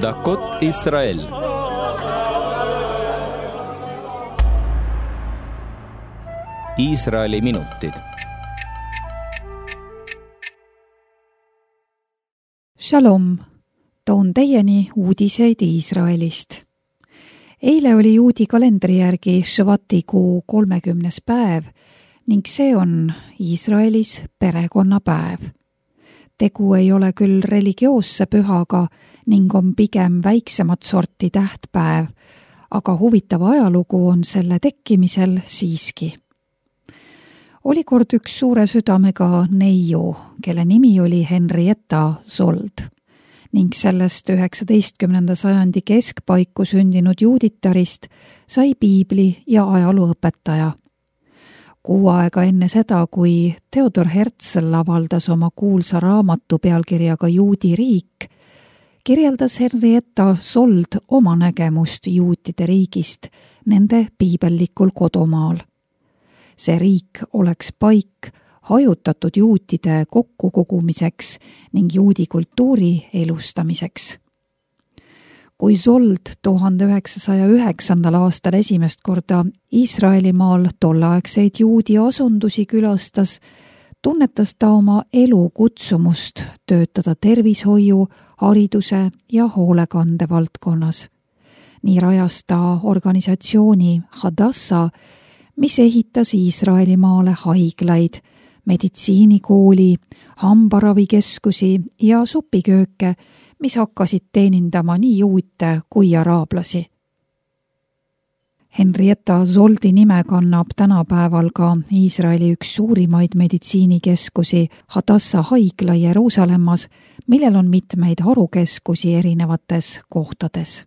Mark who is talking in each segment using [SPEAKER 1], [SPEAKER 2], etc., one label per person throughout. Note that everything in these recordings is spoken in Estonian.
[SPEAKER 1] דקות ישראל. Iisraeli minutid.
[SPEAKER 2] Shalom, toon teieni uudiseid Iisraelist. Eile oli juudi kalendri järgi Švati kuu 30. päev ning see on Iisraelis perekonnapäev. Tegu ei ole küll religioosse pühaga ning on pigem väiksemat sorti tähtpäev, aga huvitav ajalugu on selle tekkimisel siiski. Oli kord üks suure südamega neiu, kelle nimi oli Henrietta Zold ning sellest 19. sajandi keskpaiku sündinud juuditarist sai piibli ja ajalooõpetaja. Kuu aega enne seda, kui Theodor Herzl avaldas oma kuulsa raamatu pealkirjaga Juudi riik, kirjeldas Henrietta Zold oma nägemust juutide riigist nende piibellikul kodumaal. See riik oleks paik hajutatud juutide kokkukogumiseks ning juudi kultuuri elustamiseks. Kui Zold 1909. aastal esimest korda Iisraelimaal tolleaegseid juudi asundusi külastas, tunnetas ta oma elu kutsumust töötada tervishoiu, hariduse ja hoolekande valdkonnas. Nii rajas ta organisatsiooni Hadassah, mis ehitas Iisraelimaale haiglaid, meditsiinikooli, hambaravikeskusi ja supikööke, mis hakkasid teenindama nii juute kui araablasi. Henrietta Zoldi nime kannab tänapäeval ka Iisraeli üks suurimaid meditsiinikeskusi Hadassah haigla Jeruusalemmas, millel on mitmeid harukeskusi erinevates kohtades.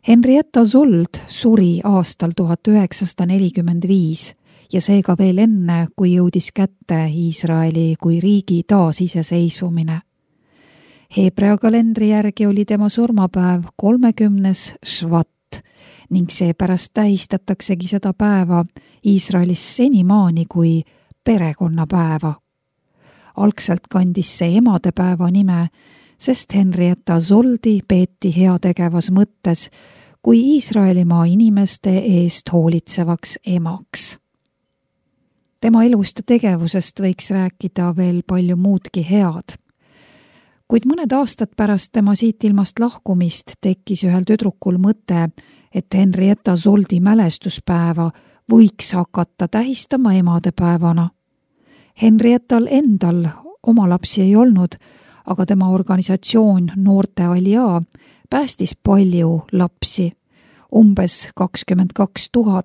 [SPEAKER 2] Henrietta Zold suri aastal 1945 ja seega veel enne, kui jõudis kätte Iisraeli kui riigi taasiseseisvumine. Heebrea kalendri järgi oli tema surmapäev 30. Švat ning seepärast tähistataksegi seda päeva Iisraelis senimaani kui perekonnapäeva. Algselt kandis see emadepäeva nime, sest Henrietta Zoldi peeti heategevas mõttes kui Iisraelimaa inimeste eest hoolitsevaks emaks. Tema elust ja tegevusest võiks rääkida veel palju muudki head. Kuid mõned aastad pärast tema siit ilmast lahkumist tekkis ühel tüdrukul mõte, et Henrietta Zoldi mälestuspäeva võiks hakata tähistama emadepäevana. Henriettal endal oma lapsi ei olnud, aga tema organisatsioon Noorte Alia päästis palju lapsi, umbes 22 000,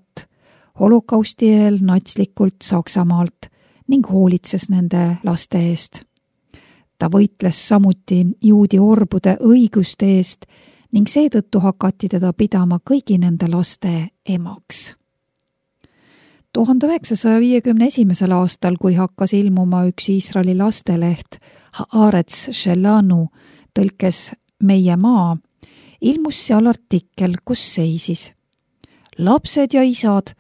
[SPEAKER 2] holokausti eel natslikult Saksamaalt ning hoolitses nende laste eest. Ta võitles samuti juudi orbude õiguste eest ning seetõttu hakati teda pidama kõigi nende laste emaks. 1951. aastal, kui hakkas ilmuma üks Iisraeli lasteleht Haaretz Shelanu, tõlkes Meie maa, ilmus seal artikkel, kus seisis: lapsed ja isad,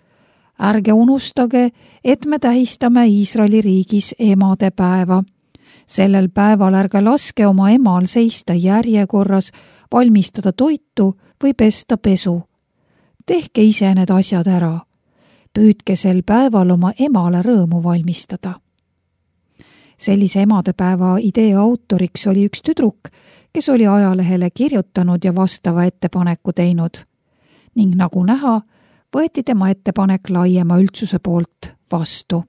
[SPEAKER 2] ärge unustage, et me tähistame Iisraeli riigis emadepäeva. Sellel päeval ärge laske oma emal seista järjekorras, valmistada toitu või pesta pesu. Tehke ise need asjad ära. Püüdke sel päeval oma emale rõõmu valmistada. Sellise emadepäeva idee autoriks oli üks tüdruk, kes oli ajalehele kirjutanud ja vastava ettepaneku teinud. Ning nagu näha, võeti tema ettepanek laiema üldsuse poolt vastu.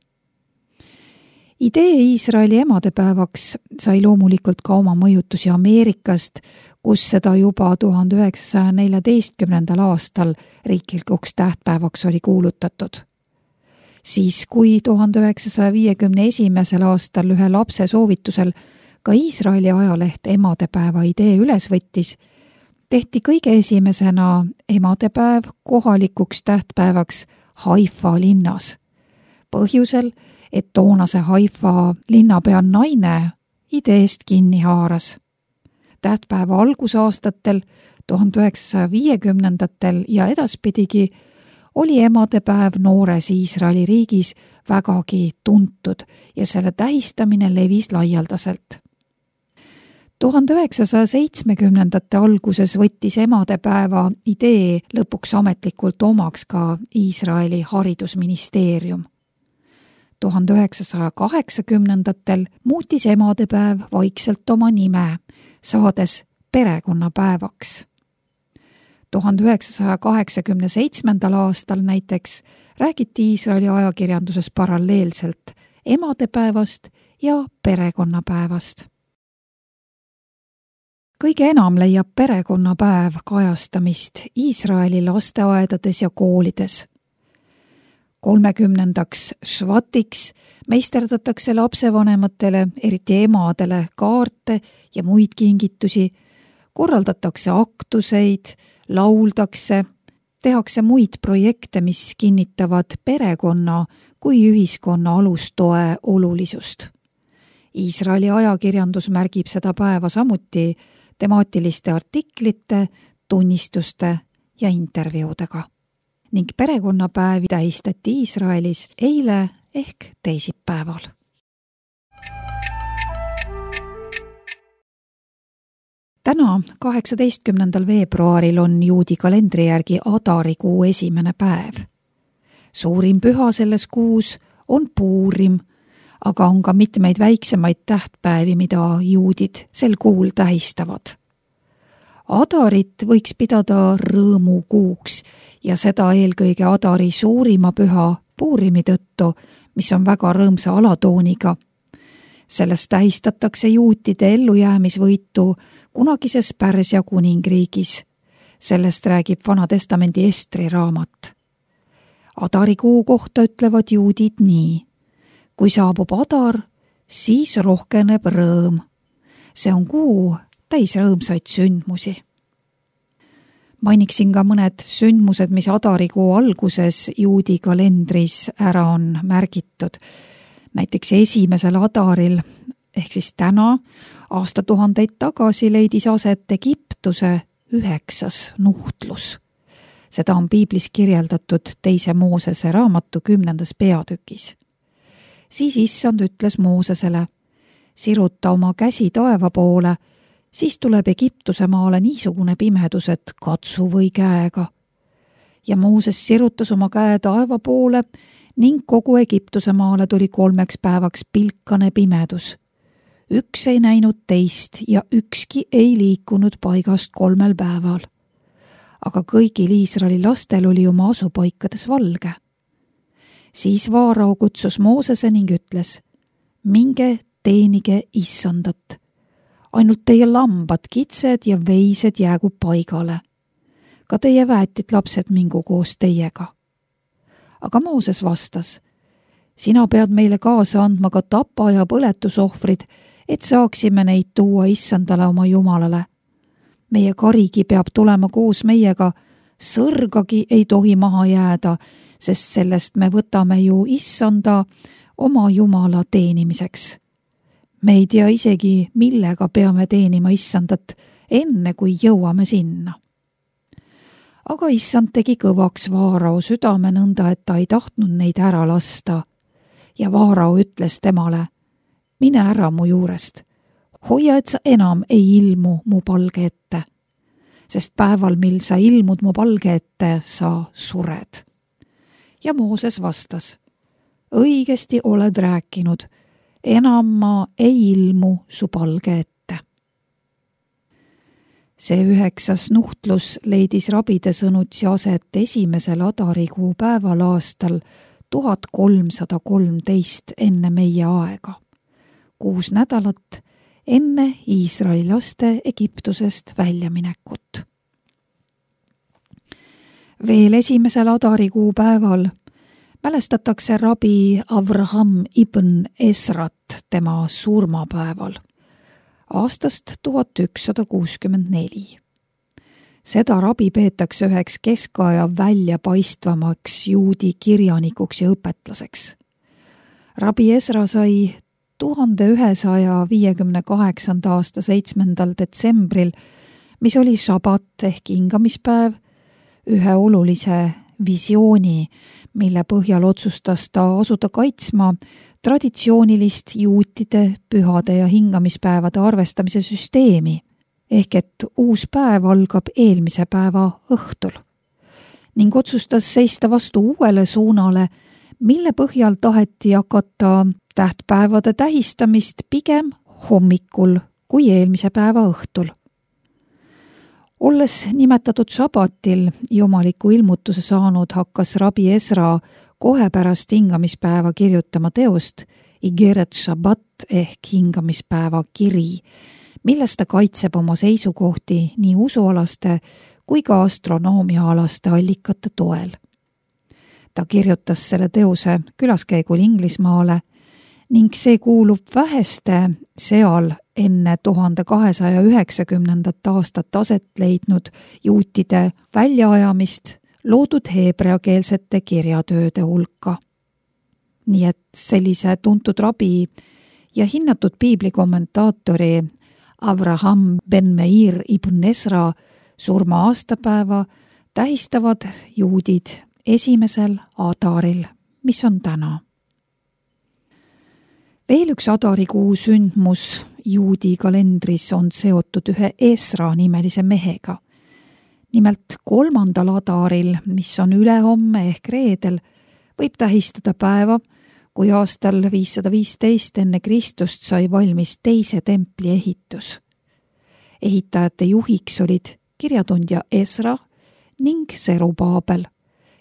[SPEAKER 2] Idee Iisraeli emadepäevaks sai loomulikult ka oma mõjutusi Ameerikast, kus seda juba 1914. aastal riiklikuks tähtpäevaks oli kuulutatud. Siis, kui 1951. aastal ühe lapse soovitusel ka Iisraeli ajaleht emadepäeva idee üles võttis, tehti kõige esimesena emadepäev kohalikuks tähtpäevaks Haifa linnas. Põhjusel, et toonase Haifa linnapea naine ideest kinni haaras. Tähtpäeva algusaastatel, 1950. ja edaspidigi, oli emadepäev noores Iisraeli riigis vägagi tuntud ja selle tähistamine levis laialdaselt. 1970. alguses võttis emadepäeva idee lõpuks ametlikult omaks ka Iisraeli haridusministeerium. 1980. muutis emadepäev vaikselt oma nime, saades perekonnapäevaks. 1987. aastal näiteks räägiti Iisraeli ajakirjanduses paralleelselt emadepäevast ja perekonnapäevast. Kõige enam leiab perekonnapäev kajastamist Iisraeli lasteaedades ja koolides. 30. švatiks meisterdatakse lapsevanematele, eriti emadele, kaarte ja muid kingitusi, korraldatakse aktuseid, lauldakse, tehakse muid projekte, mis kinnitavad perekonna kui ühiskonna alustoe olulisust. Iisraeli ajakirjandus märgib seda päeva samuti temaatiliste artiklite, tunnistuste ja intervjuudega. Ning perekonnapäevi tähistati Iisraelis eile ehk teisipäeval. Täna, 18. veebruaril on juudi kalendri järgi Adarikuu esimene päev. Suurim püha selles kuus on Puurim, aga on ka mitmeid väiksemaid tähtpäevi, mida juudid sel kuul tähistavad. Adarit võiks pidada rõõmukuuks ja seda eelkõige Adari suurima püha Puurimi tõttu, mis on väga rõõmsa alatooniga. Sellest tähistatakse juutide ellujäämisvõitu kunagises Pärsia kuningriigis. Sellest räägib Vana Testamendi Estri raamat. Adarikuu kohta ütlevad juudid nii. Kui saabub Adar, siis rohkeneb rõõm. See on kuu täis rõõmsaid sündmusi. Mainiksin ka mõned sündmused, mis Adarikuu alguses juudi kalendris ära on märgitud. Näiteks esimesel Adaril, ehk siis täna, aastatuhandeid tagasi leidis aset Egiptuse 9. nuhtlus. Seda on piiblis kirjeldatud 2. Moosese raamatu 10. peatükis. Siis issand ütles Moosesele, siruta oma käsi taeva poole, siis tuleb Egiptuse maale niisugune pimedus, et katsu või käega. Ja Mooses sirutas oma käe taeva poole ning kogu Egiptuse maale tuli 3 päevaks pilkane pimedus. Üks ei näinud teist ja ükski ei liikunud paigast 3 päeval. Aga kõigil Iisraeli lastel oli oma asupaikades valge. Siis Vaarao kutsus Moosese ning ütles, minge teenige issandat. Ainult teie lambad, kitsed ja veised jäägu paigale. Ka teie väetid lapsed mingu koos teiega. Aga Mooses vastas, sina pead meile kaasa andma ka tapa ja põletusohvrid, et saaksime neid tuua issandale oma Jumalale. Meie karigi peab tulema koos meiega, sõrgagi ei tohi maha jääda, sest sellest me võtame ju issanda oma Jumala teenimiseks. Me ei tea isegi, millega peame teenima issandat, enne kui jõuame sinna. Aga issand tegi kõvaks Vaarao südame nõnda, et ta ei tahtnud neid ära lasta. Ja Vaarao ütles temale, mine ära mu juurest, hoia, et sa enam ei ilmu mu palge ette, sest päeval, mil sa ilmud mu palge ette, sa sured. Ja Mooses vastas, õigesti oled rääkinud, enam ma ei ilmu su palge ette. See 9. nuhtlus leidis rabide sõnutsi aset esimesel Adarikuu päeval aastal 1313 enne meie aega, 6 nädalat enne Iisraeli laste Egiptusest väljaminekut. Veel esimesel Adarikuu päeval mälestatakse rabi Avraham ibn Esrat tema surmapäeval aastast 1164. Seda rabi peetakse üheks keskaja väljapaistvamaks juudi kirjanikuks ja õpetlaseks. Rabi Esra sai 1158. aasta 7. detsembril, mis oli šabat ehk hingamispäev, ühe olulise visiooni, mille põhjal otsustas ta asuda kaitsma traditsioonilist juutide pühade ja hingamispäevade arvestamise süsteemi, ehk et uus päev algab eelmise päeva õhtul, ning otsustas seista vastu uuele suunale, mille põhjal taheti hakata tähtpäevade tähistamist pigem hommikul kui eelmise päeva õhtul. Olles nimetatud sabatil jumaliku ilmutuse saanud, hakkas rabi Esra kohe pärast hingamispäeva kirjutama teost Igeret Shabbat ehk hingamispäeva kiri, milles ta kaitseb oma seisukohti nii usualaste kui ka astronoomiaalaste allikate toel. Ta kirjutas selle teose külaskäigul Inglismaale ning see kuulub väheste seal enne 1290. aastat aset leidnud juutide väljaajamist loodud heebreakeelsete kirjatööde hulka. Nii et sellise tuntud rabi ja hinnatud piiblikommentaatori Avraham ben Meir ibn Esra surma aastapäeva tähistavad juudid 1. Adaril, mis on täna. Veel üks adarikuu sündmus juudi kalendris on seotud ühe Esra nimelise mehega. Nimelt 3. Adaril, mis on ülehomme ehk reedel, võib tähistada päeva, kui aastal 515 enne Kristust sai valmis teise templi ehitus. Ehitajate juhiks olid kirjatundja Esra ning Serubaabel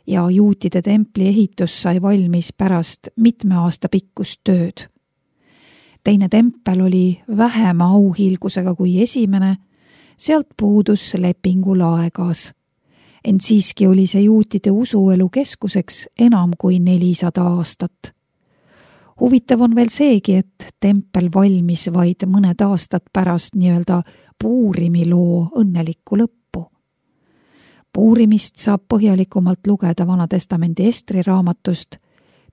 [SPEAKER 2] ja juutide templi ehitus sai valmis pärast mitme aasta pikkust tööd. Teine tempel oli vähema auhiilgusega kui esimene, sealt puudus lepingu laegas. Ent siiski oli see juutide usuelu keskuseks enam kui 400 aastat. Huvitav on veel seegi, et tempel valmis vaid mõned aastad pärast nii-öelda Puurimi loo õnnelikku lõppu. Puurimist saab põhjalikumalt lugeda Vanatestamendi Estri raamatust,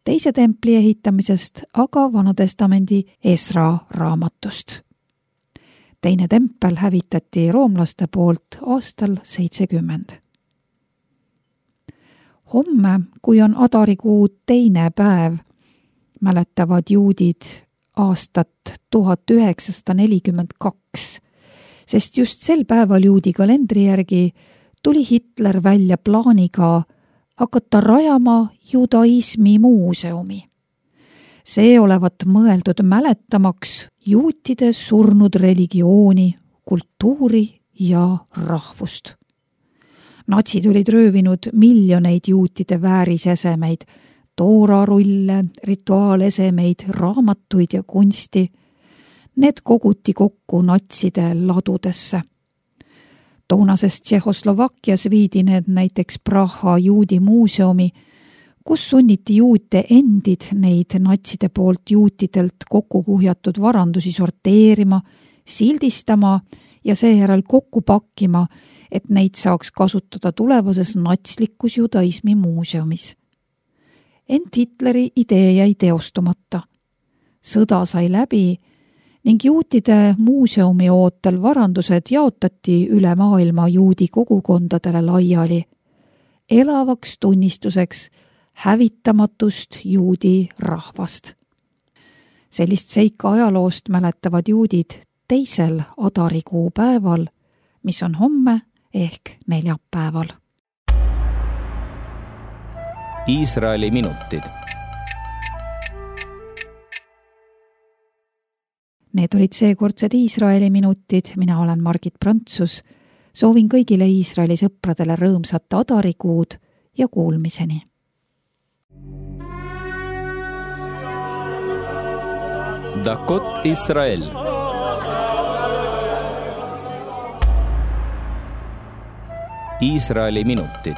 [SPEAKER 2] teise templi ehitamisest aga Vanatestamendi Esra raamatust. Teine tempel hävitati roomlaste poolt aastal 70. Homme, kui on adarikuu teine päev, mäletavad juudid aastat 1942, sest just sel päeval juudi kalendri järgi tuli Hitler välja plaaniga hakata rajama judaismi muuseumi. See olevat mõeldud mäletamaks juutide surnud religiooni, kultuuri ja rahvust. Natsid olid röövinud miljoneid juutide väärisesemeid, toorarulle, rituaalesemeid, raamatuid ja kunsti. Need koguti kokku natside ladudesse. Toonases Tšehhoslovakkias viidi need näiteks Praha juudi muuseumi, kus sunniti juute endid neid natside poolt juutidelt kokku kuhjatud varandusi sorteerima, sildistama ja seejärel kokku pakkima, et neid saaks kasutada tulevases natslikus judaismi muuseumis. Ent Hitleri idee jäi teostumata. Sõda sai läbi ning juutide muuseumi ootel varandused jaotati üle maailma juudi kogukondadele laiali, elavaks tunnistuseks hävitamatust juudi rahvast. Sellist seika ajaloost mäletavad juudid 2. adarikuu päeval, mis on homme ehk neljapäeval.
[SPEAKER 1] Iisraeli minutid.
[SPEAKER 2] Need olid seekordsed Iisraeli minutid, mina olen Margit Prantsus. Soovin kõigile Iisraeli sõpradele rõõmsat adarikuud ja kuulmiseni.
[SPEAKER 1] Dakot Israel. Iisraeli minutid.